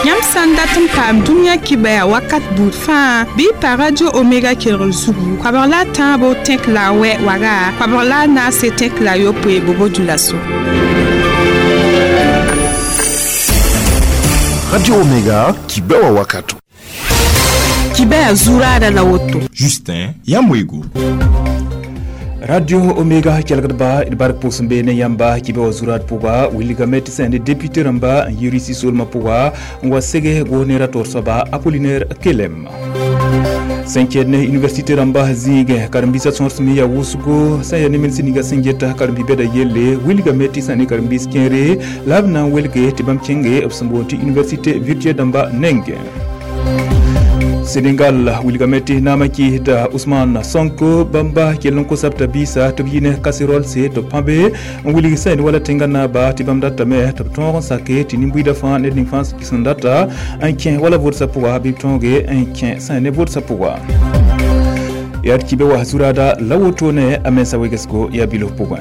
Yãmb sã n dat n paam dũniyã kibaya wakat buud fãa bɩ y pa Radio Omega kelgr zugu koabg la a tãabo tẽk la a wɛ waga koabg la a naase tẽk la a yopoe bobo dulaso. Radio Omega, kibewa wakato. Kibaya zuraada la woto. Justin Yamwego. Radio Omega kelgdba d bark pʋʋs n be ne yãmba kɩ be wa zurad pʋga wilgame tɩ sẽn ne député rãmba n yi Risi solmã pʋga n wa sege goosnera taoor soaba Apollinaire Kelem. Sẽn kẽed ne université rãmba zĩigẽ karen-biisã sõor sẽn me yaa wʋsgo sẽn yaa ne minsi ninga sẽn geta karen-bi-bɛda yelle wilgame tɩ sã ne karen-biis kẽere la b na n welge tɩ bãmb kẽnge b sẽn boond tɩ université virtuelle dãmba nengẽ. Senegal wilgame tɩ naamã kɩɩsda Ousmane Sonko bãmba kell n kosab t'a biisa tɩ b yi ne casserole se tɩ b pãbe n wilg sẽn wala tẽngã naaba tɩ bãmb datame tɩ b tõog n sake tɩ nin-buiidã fãa ned ning fãa sẽn data n kẽ wala vʋʋdsã pʋga bɩ b tõoge n kẽ sẽn ne vʋʋdsã pʋga. Yaa d kibe wa zurada la wotone a mensa wegesgo yaa bilf pʋgẽ.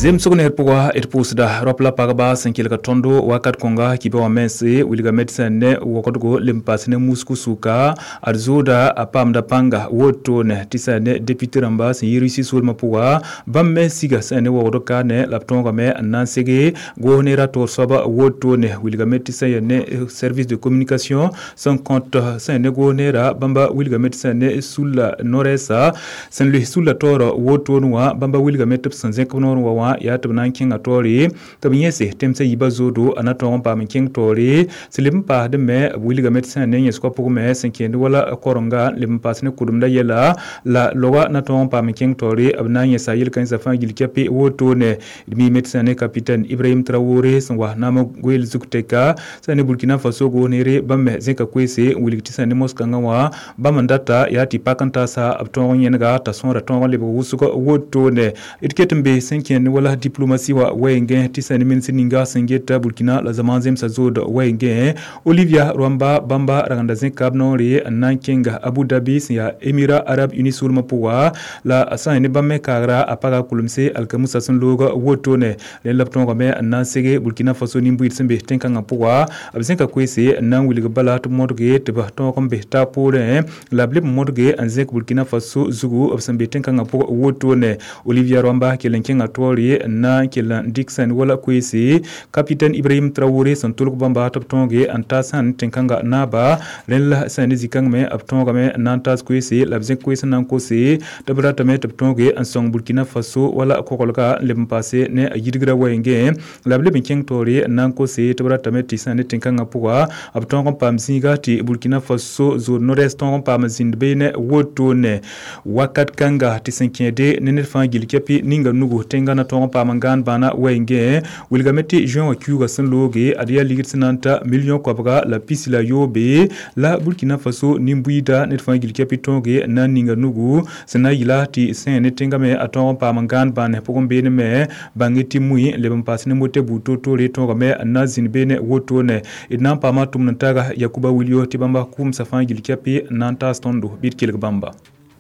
Zemsg ner pʋga d pʋʋsda rap la pagba sẽn kelg tõndo wakat kõnga kɩ be wã mense wilgame tɩ sẽn ne wokdgo lem paas ne musku sʋka ad zooda a paamda pãnga wotone tɩ sẽn ne député rãmba sẽn yi Risi solmã pʋga bãmb me siga sẽn ne wogd kaane la b tõogame n na n sege goos neera taoor soaba wotone wilgame tɩ sẽn yaa ne service de communication sẽn kõt sẽn ne goos neera bãmba wilgame tɩ sẽn ne sulla no-rɛɛsa sẽn loes sulla taoorã wotone wã bãmba wilgame tɩ b sẽn zẽk b noor wa wã yaa tɩ b na n kẽnga taoore tɩ b yẽse tẽmsã yiibã zoodo a na tõog n paam n kẽng taoore sẽn leb n paasdẽ me b wilgame tɩ sẽn ne yẽsgã pʋgẽ me sẽn kẽend wala korenga n leb n paas ne kʋdemda yɛla la loga na tõog n paam n kẽng taoore b na n yẽsa yel-kãensã fãa gill kɛpe wotone d miime tɩ sẽn ne capitaine Ibrahim Traoré sẽn wa naamã goeel zug tɛka sẽn ne Burkina Faso goos-neere bãmb me zẽka koeese n wilg tɩ sẽn ne moskãngã wã bãmb n data yaa tɩ pak n taasa b tõog n yẽnega t'a sõora tõog n lebg wʋsg wotone d ket n be sẽn kẽend wala diplomatie wa wɛɛngẽ tɩ sẽn ne minsi ninga sẽn geta Burkina la zaman zemsã zood wɛɛngẽ Olivia Rwamba bãmba ragenda zẽka b noore n na n kẽnga Abu Dhabi sẽn yaa Émirats Arabes Unis solmã pʋga la sã n ne bãmb me kaagra a paga kulemse alkamusa sẽn loog wotone rẽ la b tõogame n na n sege Burkina Faso nin-buiid sẽn be tẽn-kãngã pʋga b zẽka koeese n na n wilg bala tɩ b modge tɩ b tõog n be taa poorẽ la b leb n modge n zẽk Burkina Faso zugu b sẽn be tẽn-kãngã pʋg wotone Olivia Rwamba kell n kẽnga taoore n na n kell n dɩk sẽn wala koeese capitaine Ibrahim Traoré sẽn tʋlg bãmba tɩ b tõoge n ta sãn tẽn-kãngã naaba rẽ la sẽn ne zĩ-kãng me b tõogame n na n taas koeese la b zẽk koees n na n kose tɩ b ratame tɩ b tõoge n sõng Burkina Faso wala koglga n leb n paase ne a yidgrã wɛɛngẽ la b leb n kẽng taoore n na n kose tɩ b ratame tɩ sẽn ne tẽn-kãngã pʋga b tõog n paam zĩiga tɩ Burkina Faso zood no-rɛɛs tõog n paam zĩnd beene wotone wakat kãnga tɩ sẽn kẽede ne ned fãa gill kɛpɩ ninga nugu tẽngã na tõog n paam n gãan bãana wɛɛngẽ wilgame tɩ juin wã kiuugã sẽn looge ad yaa ligd sẽn na n ta million koabga la pis la yoobe la Burkina Faso nin-buiida ned fãa gill kɛpɩ tõoge n na n ninga nugu sẽn na n yɩla tɩ sẽn ne tẽngã me a tõog n paam n gãan bãane pʋgẽ beene me bãng tɩ mui n leb n paas ne mote buud toor-toore tõogame n na n zĩnd beene wotone d na n paama tʋmd n taaga Yakuba Wilio tɩ bãmba kʋʋmsã fãa gill kɛpɩ n na n taas tõndo bɩ d kelg bãmba.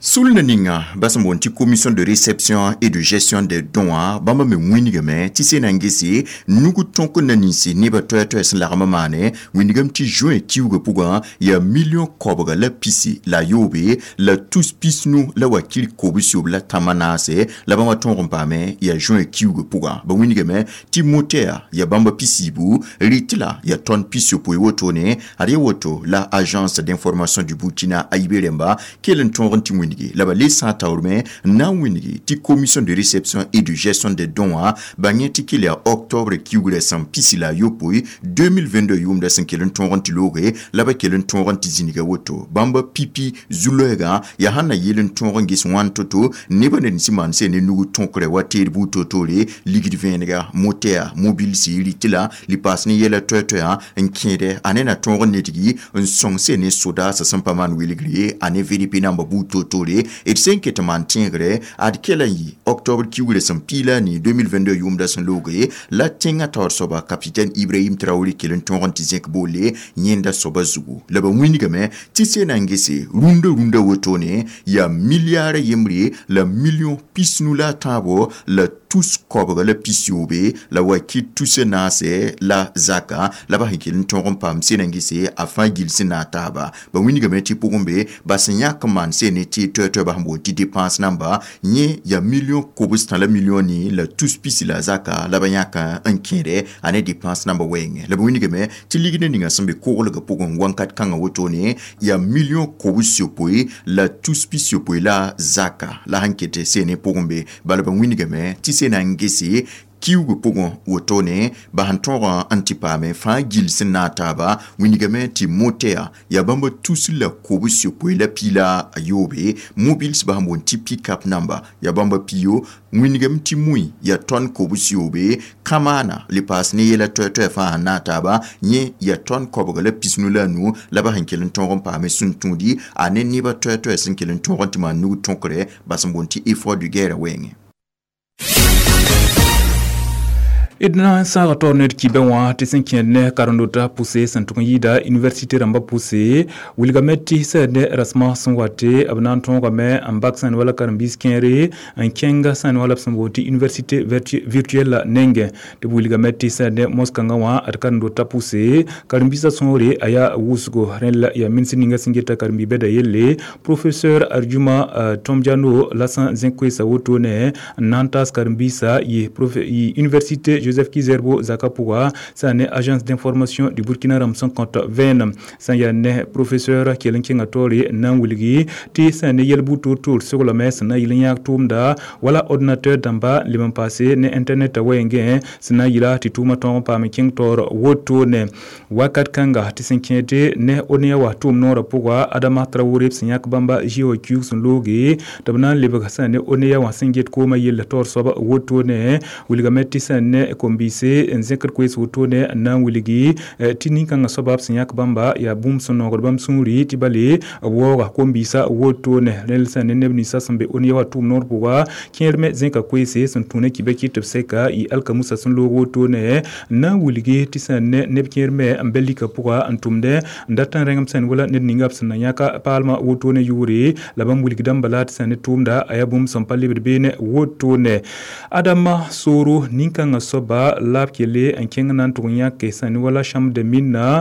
Sulna ninga basã boond tɩ commission de réception et de gestion des dons wã bãmba me wĩnigame tɩ sẽn na n gese nug tõk n na ninse nebã toɛ-toɛ sẽn lagm n maane wĩnigame tɩ juin kiuugã pʋgã yaa million koabga la pisi la yoobe la tus pisnu la wakir kobs-yob la tãmba naase la bãmba tõog n paame yaa juin kiuugã pʋgã ba wĩnigame tɩ motea yaa bãmba pisiibu rɩt la yaa tõnd pis-yopoe wotone ad yaa woto la agence d'information du Burkina a yibe rẽmba kell n tõog n tɩ wĩnige la ba le sã n taoor me n na n wĩnigi tɩ commission de réception et de gestion des dons wã bãng yẽ tɩ kell yaa octobre kiugrã sẽn pisi la a yopoe 2022 yʋʋmdã sẽn kell n tõog n tɩ looge la ba kell n tõog n tɩ zĩniga woto bãmba pipi zu-loɛɛgã yaa sãn na yeel n tõog n ges wãn to-to nebã ned n sɩ maan sẽn ne nug tõkrã wa teed buud toor-toore ligd vẽenega motea mobilsi rɩt la lipaas ne yɛla toɛ-toɛã n kẽede a ne na tõog n nedgi n sõng sẽn ne sodaasã sẽn pa maan wilgre a ne VDP namba buud toor-toore. wotore d sẽn ket n maan tẽegre ad kela n yɩ octobre kiugrã sẽn piila a ni 2022 yʋʋmda sẽn looge la tẽngã taoor soaba capitaine Ibrahim Traoré kell n tõog n tɩ zẽk boole yẽnda soaba zugu. La ba wĩnigame tɩ sena n gese rũndã rũndã wotone yaa milliard yembre la million pisnu la a tãabo la tus koabga la pis-yoobe la wakit tus naase la zaka la ba sẽn kell n tõog n paam sena n gese a fãa gill sẽn na a taaba. Ba wĩnigame tɩ pʋgẽ be ba sẽn yãk n maan sene tɩ toɛ-toɛ ba sẽn boond tɩ dépense namba yẽ yaa million kobs-tã la million ni la tus pisi la zaka la ba yãk n kẽede a ne dépense namba wɛɛngẽ. La ba wĩnigame tɩ ligdã ninga sẽn be koglgã pʋgẽ wãnkat kãngã wotone yaa million kobs yopoe la tus pis yopoe la zaka la sẽn ket sene pʋgẽ be. Bala ba wĩnigame tɩ sena n gese kiugu pʋgẽ wotone ba sẽn tõog n tɩ paame fãa gill sẽn na a taaba wĩnigame tɩ moteya yaa bãmba tus la kobs yopoe la piila a yoobe mobiles ba sẽn boond tɩ pick-up namba yaa bãmba piyo wĩnigame tɩ mui yaa tõn kobs yoobe kamaana le paas ne yɛla toɛ-toɛ fãa sẽn na a taaba yẽ yaa tõn koabga la pisnu la a nu la ba sẽn kell n tõog n paame sũn-tũudi a ne neba toɛ-toɛ sẽn kell n tõog n tɩ maan nug tõkre ba sẽn boond tɩ effort de guerre wɛɛngẽ. D na n sãaga taoor ned kibẽ wã tɩ sẽn kẽed ne karen-dotã pʋse sẽn tʋg n yɩɩda université rãmbã pʋse wilgame tɩ sɛd ne rasmã sẽn wate b na n tõogame n bak sãn wala karen-biis kẽere n kẽng sãn wala b sẽn boond tɩ université virtuelle nengẽ tɩ b wilgame tɩ sɛd ne mos-kãngã wã d karen-dotã pʋse karen-biisã sõore a yaa wʋsgo rẽnd la yaa minisr ninga sẽn geta karen-bi-bɛda yelle professeur Arjuma Tomdiano la sẽn zẽk koeesa wotone n na n taas karen-biisã yɩ université Joseph Kizerbo zaka pʋga sã ne agence d'information du Burkina rãmb sẽn kõt vẽenem sã n yaa ne professeur kell n kẽnga taoore n na n wilgi tɩ sã ne yɛl-buud toor-toor seglame sẽn na n yɩl n yãag tʋʋmda wala ordinateur dãmba leb n paase ne internet wɛɛngẽ sẽn na n yɩla tɩ tʋʋmã tõog n paam n kẽng taoor wotone wakat kãnga tɩ sẽn kẽede ne ONEA wa tʋʋm noorã pʋga Adama Traoré b sẽn yãk bãmba GOQ sẽn looge tɩ b na n lebg sã ne ONEA wã sẽn get koomã yell taoor soab wotone wilgame tɩ sã ne kom-biise n zẽkd koees wotone n na n wilgi tɩ nin-kãngã soaba b sẽn yãk bãmba yaa bũmb sẽn noogd bãmb sũuri tɩ bale b waooga kom-biisã wotone rẽnd sã ne neb ninsã sẽn be ONEA wa tʋʋm noor pʋga kẽer me zẽka koeese sẽn tũ ne kibã kɩt b sɛka yɩ alkamusa sẽn loog wotone n na n wilgi tɩ sã ne neb kẽer me n bɛ lika pʋga n tʋmdẽ n dat n rẽngem sẽn wala ned ninga b sẽn na yãka paalmã wotone yʋʋre la bãmb wilgdã bala tɩ sã ne tʋʋmda a yaa bũmb sẽn pa lebd beene wotone Adama Soro nin-kãngã soaba la b kele n kẽng na n tʋg n yãke sã ne wala chambre de mine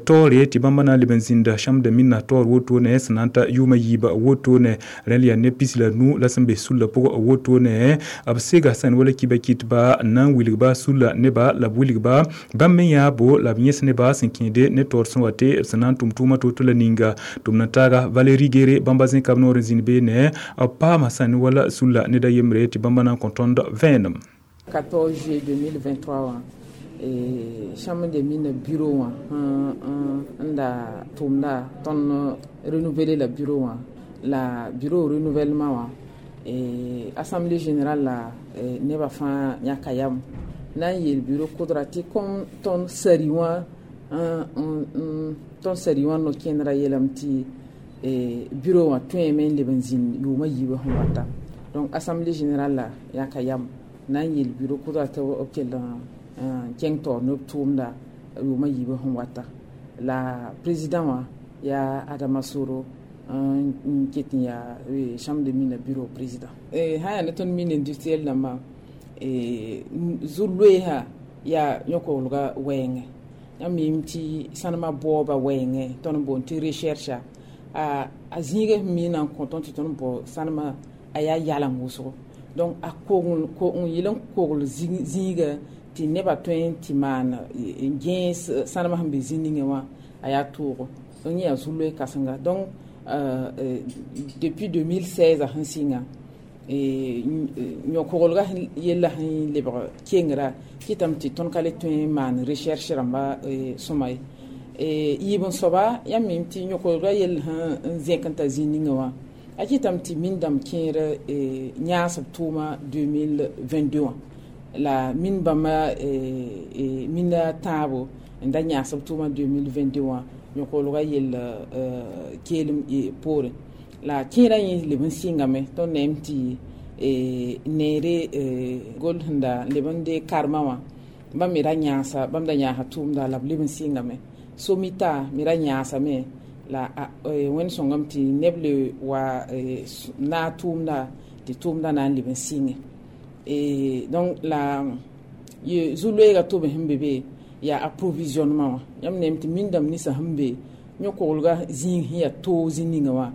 taoore tɩ bãmba na n leb n zĩnda chambre de mine taoor wotone sẽn na n ta yʋʋmã yiiba wotone rẽnd yaa neb pis la nu la sẽn be sulla pʋgẽ wotone b sega sã ne wala kibã kɩtba n na n wilgba sulla neba la b wilgba bãmb me yãabo la b yẽs neba sẽn kẽede ne taoor sẽn wa tɩ b sẽn na n tʋm tʋʋmã to-to la ninga tʋm na taaga Valérie Gere bãmba zẽka b noor n zĩnd beene b paama sã ne wala sulla ned a yembre tɩ bãmba na n kõ tõnd vẽenem. 14 juillet 2023 chambre de mine bureau wã n da tʋʋmda tõnd renouveler la bureau wã la bureau renouvellement wã assemblée générale la nebã fãa yãka yam na n yeel bureau kʋdra tɩ kom tõnd sari wã tõnd sari wã no-kẽndrã yeelame tɩ bureau wã tõeme n leb n zĩnd yʋʋmã yiibã sẽn wata. Donc assemblée générale la yãka yam na n yeel bureau kʋdra tɩ b kell n kẽng taoor ne b tʋʋmda yʋʋmã yiibã sẽn wata. La président wã yaa Adama Soro n ket n yaa chambre de mine bureau président. Sã yaa ne tõnd mine industriel dãmbã zu-loeesã yaa yõk-kolga wɛɛngẽ. Yãmb miime tɩ sãnemã baooba wɛɛngẽ tõnd n boond tɩ recherche a zĩigã sẽn miina n kõ tõnd tɩ tõnd bao sãnemã a yaa yalem wʋsgo. Donc a kogl n yɩl n kogl zĩiga tɩ nebã tõe n tɩ maan n gẽes sãnemã sẽn be zĩ ningẽ wã a yaa toogo. Donc yẽ yaa zu-loe kãsenga. Donc depuis 2016 sẽn sɩnga yõ-koglgã yellã sẽn lebg kengra kɩtame tɩ tõnd ka le tõe n maan recherche rãmba sõma ye. Yiib n soaba yãmb miime tɩ yõ-koglgã yell sẽn zẽk n ta zĩ ningẽ wã a kɩtame tɩ min dãmb kẽer yãasb tʋʋma 2022 wã la min bãmba mina tãabo n da yãasb tʋʋma 2022 wã yõ-koglgã yell keelem poorẽ. La kẽerã yẽ leb n sɩngame tõnd neem tɩ neere gol sẽn da leb n dee karema wã bãmb me ra yãasa bãmb da yãasa tʋʋmda la b leb n sɩngame somita me ra yãasame la wẽnd sõngame tɩ neb le wa naag tʋʋmda tɩ tʋʋmda na n leb n sɩnge. Donc la zu-loeega tobe sẽn be be yaa approvisionnement wã yãmb neem tɩ mindame ninsã sẽn be yõ-koglga zĩig sẽn yaa toog zĩ-ninga wã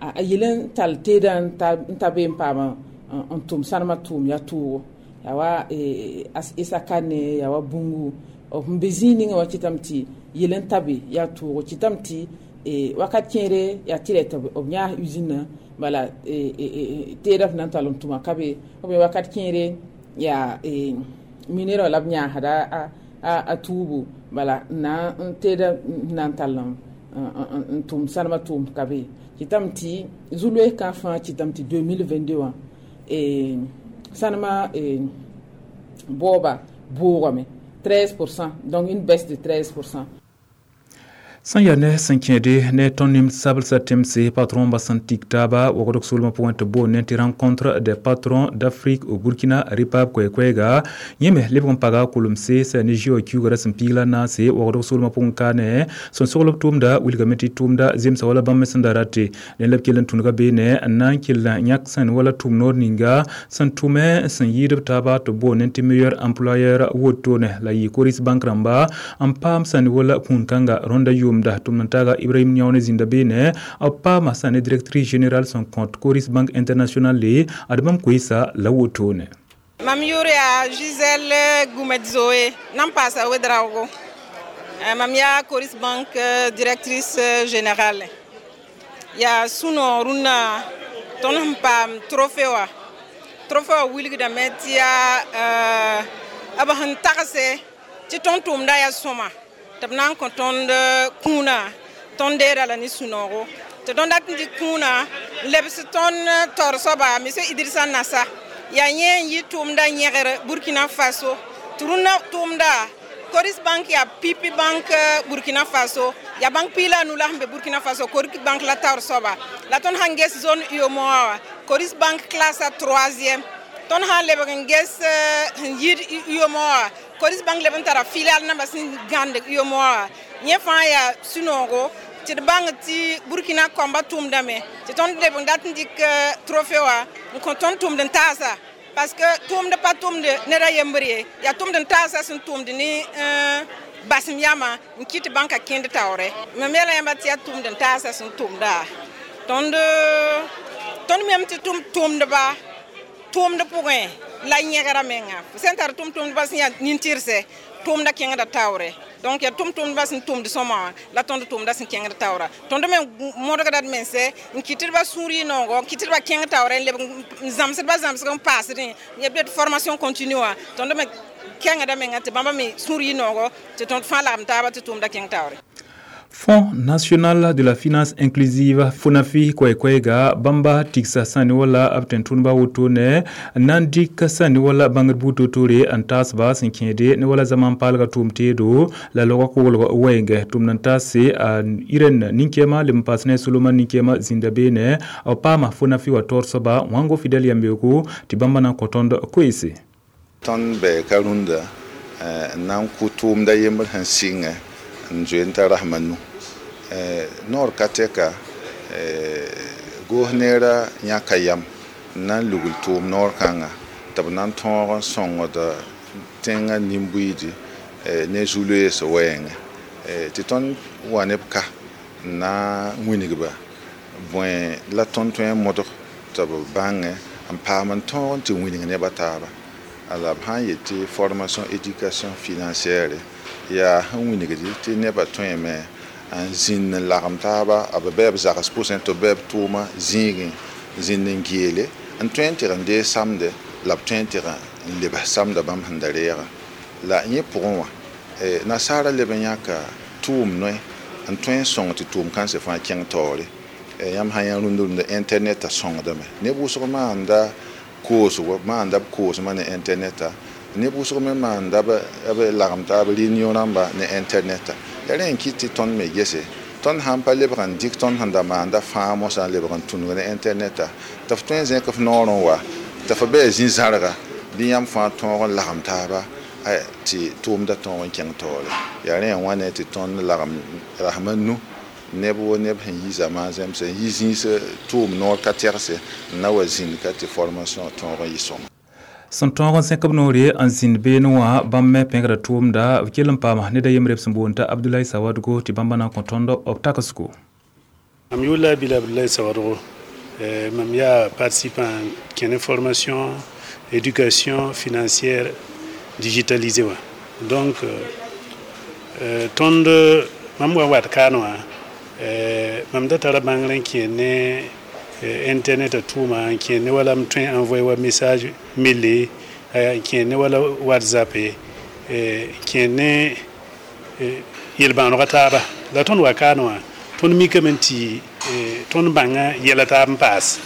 a yel n tall teedã n ta be n paam n tʋm sãnemã tʋʋm yaa toogo yaa wa Essakane yaa wa Boungou sẽn be zĩig ninga wã kɩtame tɩ yel n ta be yaa toogo kɩtame tɩ wakat kẽere yaa tɩ rɛ tɩ b yãas usine bala teedã f na n tall n tʋma ka be ou bien wakat kẽere yaa minera la b yãasda a tuubu bala na n teedã na n tall n tʋm sãnemã tʋʋm ka be kɩtame tɩ zu-loees kã fãa kɩtame tɩ 2022 wã sãnemã baooba boogame 13%, donc une baisse de 13%. Sẽn yaa ne sẽn kẽede ne tõnd nim-sablsã tẽmse patron ba sẽn tik taaba wagdg soolmã pʋgẽ tɩ boond ne tɩ rencontre des patrons d'Afrique au Burkina REPAB koɛ-koɛɛga yẽ me lebg n paga kolemse sã ne GIO kiuga ra sẽn piig la naase wagdg soolmã pʋgẽ kaane sẽn sogl b tʋʋmda wilgame tɩ tʋʋmda zemsa wala bãmb me sẽn da rate ne la b kell n tũnega beene n na n kell yãk sẽn wala tʋʋm noor ninga sẽn tʋme sẽn yɩɩd b taaba tɩ boond ne tɩ meilleur employeur wotone la yɩ Coris Bank rãmba n paam sã ne wala kũun kãnga rõnda yʋʋm da tʋm-n-taaga Ibrahim Niaone zĩnda beene b paama sã ne directrice générale sẽn kõt Coris Bank International le ad bãmb koeesa la wotone. Mam yʋʋr yaa Gisèle Goumet-Zoé nan paasa Ouedraogo. Mam yaa Coris Bank directrice générale. Yaa sũ-noog rũnnã tõnd sẽn paam trophée wã. Trophée wã wilgdame tɩ yaa b sẽn tagse tɩ tõnd tʋʋmda yaa sõma tɩ b na n kõ tõnd kũunã tõnd deera la ne sũ-noogo tɩ tõnd dat n dɩk kũunã n lebs tõnd taoor soaba monsieur Idrissa Nassa yaa yẽ n yɩ tʋʋmda yẽgr Burkina Faso tɩ rũnnã tʋʋmda Coris Bank yaa pipi bank Burkina Faso yaa bank piig la a nu la sẽn be Burkina Faso Coris Bank la taoor soaba la tõnd sãn ges zone UEMOA wã Coris Bank classe a troisième tõnd sã n lebg n ges sẽn yid UEMOA wã Coris Bank leb n tara filial namba sẽn gãnd UEMOA wã yẽ fãa yaa sũ-noogo tɩ d bãng tɩ Burkina kɔmba tʋʋmdame tɩ tõnd leb n dat n dɩk trophée wã n kõ tõnd tʋʋmd n taasa parce que tʋʋmd pa tʋʋmd ned a yembr ye yaa tʋʋmd n taasa sẽn tʋʋmd ne basem yamã n kɩt tɩ bãnka kẽnd taoore mam yeela yãmba tɩ yaa tʋʋmd n taasa sẽn tʋʋmda tõnd mem tɩ tʋʋmdba tʋʋmd pʋgẽ la yẽgra menga sẽn tar tʋʋm-tʋʋmdbã sẽn yaa nin-tɩrse tʋʋmda kẽngda taoore donc yaa tʋʋm-tʋʋmdbã sẽn tʋʋmd sõma wã la tõnd tʋʋmda sẽn kẽngd taoora tõnd me modgda d mense n kɩtdba sũur yɩ noogo n kɩtdba kẽng taoore n leb n zãmsdba zãmsg n paasdẽ ya b formation continue wã tõnd me kẽngda menga tɩ bãmba me sũur yɩ noogo tɩ tõnd fãa lagem taaba tɩ tʋʋmda kẽng taoore. Fonds national de la finance inclusive FONAFI koɛɛ-koɛɛga bãmba tigsa sã ne wala b tẽn-tʋʋdbã wotone n na n dɩk sã ne wala bãngd buud toor-toore n taasba sẽn kẽede ne wala zaman paalga tʋʋm teedo la logã koglg wɛɛngɛ tʋmd n taase a Irene nin-kɛɛma leb n paas ne Solomon nin-kɛɛma zĩnda beene b paama FONAFI wa taoor soaba wãngo Fidel yambeoogo tɩ bãmba na n kõ tõnd koeese. Tõnd bɛɛka rũndã n na n kʋ tʋʋmda yembr sẽn sɩngɛ n zoe n t'a rasma nu noor ka tɛka goos neerã yãka yam n na n lugl tʋʋm noor kãnga tɩ b na n tõog n sõngd tẽngã nin-buiidi ne zu-loees wɛɛngẽ tɩ tõnd wa ne b ka n na n wilgba bõe la tõnd tõe n modg tɩ b bãngẽ n paam n tõog n tɩ wilg nebã taaba la b sã n yet tɩ formation éducation financière yaa sẽn wilgdi tɩ nebã tõeme n zĩnd n lagem taaba b bɩ b zags pʋsẽ tɩ b bɩ b tʋʋma zĩigẽ zĩnd n geele n tõe n tɩg n dee samde la b tõe n tɩg n lebs samda bãmb sẽn da reegã la yẽ pʋgẽ wã nasaara leb n yãka tʋʋm noe n tõe n sõng tɩ tʋʋm kãnsẽ fãa kẽng taoore yãmb sã yã rũnd rũndã internetã sõngdame neb wʋsg maanda koosgo maanda b koosmã ne internetã neb wʋsg me maanda b lagem taab réunion rãmba ne internetã ya rẽ n kɩt tɩ tõnd me gese Tõnd sãn pa lebg n dɩk tõnd sẽn da maanda fãa mosã n lebg n tũnug ne intɛrnɛta tɩ f tõe n zẽk f noor n wa tɩ f bɩ zĩ-zãrga bɩ yãmb fãa tõog n lagem taaba tɩ tʋʋmda tõog n kẽng taoore yaa rẽ wã ne tɩ tõnd lagem rasma nu neb wo neb sẽn yi zamaan zẽmse n yi zĩis tʋʋm noor ka tɛgse n na wa zĩnd ka tɩ formation tõog n yɩ sõma. Sẽn tõog n sẽk b noore n zĩnd beene wã bãmb me pẽgra tʋʋmda b kell n paama ned a yembre b sẽn boond t'a Abdoulaye Sawadogo tɩ bãmba na n kõ tõnd b tagsgo. Mam yʋʋr la Abdoulaye Sawadogo, mam yaa participant kẽne formation éducation financière digitalisée wã. Donc tõnd mam wa wat kaan wã mam da tara bãngr n kẽ ne internet tʋʋma n kẽ ne wala m tõe n envoyer wa message mele n kẽ ne wala WhatsApp n kẽ ne yel-bãonega taaba la tõnd wa kaan wã tõnd mikame tɩ tõnd bãnga yɛla taab n paas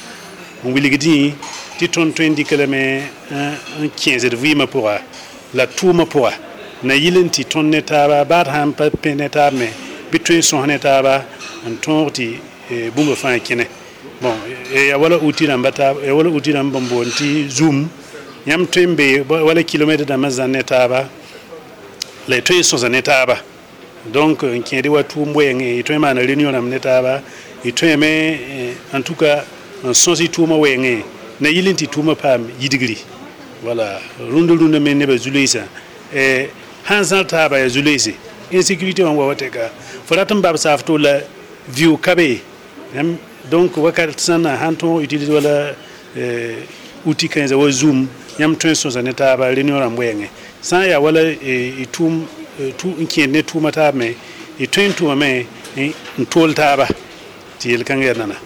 n wilgdẽ tɩ tõnd tõe n dɩk lame n kẽesd vɩɩmã pʋga la tʋʋmã pʋga na yɩl n tɩ tõnd ne taaba baad sãn pa pẽ ne taab me bɩ tõe n sõs ne taaba n tõog tɩ bũmb fãa kẽne. Bon, ya wala outil rãmba taab ya wala outil rãmb n boond tɩ Zoom yãmb tõe n be wala kilomɛtr dãmbã zãn ne taaba la y tõe n sõsa ne taaba. Donc n kẽede wa tʋʋm wɛɛngẽ y tõe n maana réunion rãmb ne taaba y tõeme en tout cas n sõs y tʋʋmã wɛɛngẽ na yɩl n tɩ tʋʋmã paam yidgri. Voilà, rũndã rũndã me nebã zu-loeesã sãn zãr taaba yaa zu-loeese insécurité wã wa wa tɛka fo rat n bab saaf to la viʋ ka be. Donc wakat sãn na sãn tõog utiliser wala outil kãensã wa Zoom yãmb tõe n sõsa ne taaba réunion rãmb wɛɛngẽ sã n yaa wala y tʋʋm n kẽed ne tʋʋmã taab me y tõe n tʋmame n tool taaba tɩ yel-kãngã yaa nana.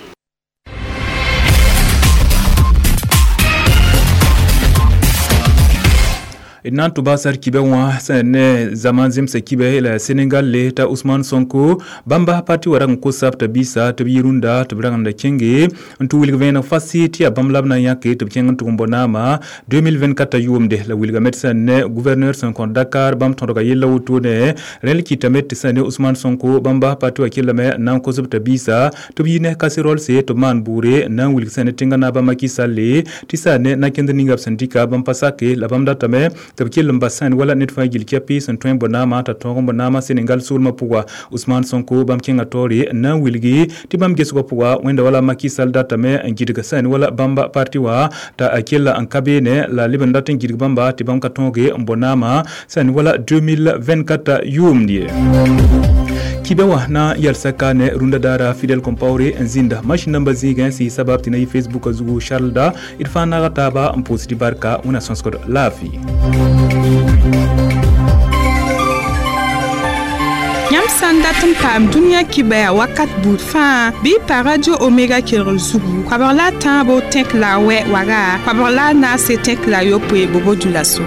D na n tʋ baasar kibɛ wã sẽn ne zaman zemsa kibɛ la Senegal le t'a Ousmane Sonko bãmba parti wa rag n kos t'a biisa tɩ b yi rũndã tɩ b rag n da kẽnge n tɩ wilg vẽeneg fasi tɩ yaa bãmb la b na n yãke tɩ b kẽng n tʋg n bɔ naama 2024 yʋʋmde la wilgame tɩ sẽn ne gouverneur sẽn kõt Dakar bãmb tõdga yella wotone rẽl kɩtame tɩ sẽn ne Ousmane Sonko bãmba parti wa kellame n na n kos b t'a biisa tɩ b yi ne casserole tɩ b maan bʋʋre n na n wilg sẽn ne tẽngã naaba Macky Sall tɩ sã ne na-kẽnd ninga b sẽn dɩka bãmb pa sake la bãmb datame tɩ b kell n bas sẽn wala ned fãa gil kɛpɩ sẽn tõe n bɔ naamã t'a tõog n bɔ naamã Senegal soolmã pʋga. Ousmane Sonko bãmb kẽngã taoore n na n wilgi tɩ bãmb gesgã pʋga wẽnda wala Macky Sall datame n gɩdg sẽn wala bãmba parti wã t'a kella n ka beene la leb n dat n gɩdg bãmba tɩ bãmb ka tõoge n bɔ naamã sẽn wala 2024 yʋʋmd ye. Kibɛ wã na n yɛlsa ka ne rũndã daara Fidel Compaoré n zĩnda masĩn nambã zĩigẽ sɩ sabab tɩ na yɩ Facebook zugu Charles da d fãa naaga taaba n pʋʋsd barka wẽna sõsgd laafɩ. Yãmb sã n dat n paam dũniyã kibɛa wakat buud fãa bɩ y pa Radio Omega kelgr zugu koabg la a tãabo tẽk la a wɛ waga koabg la a naase tẽk la a yopoe bobo dulaso.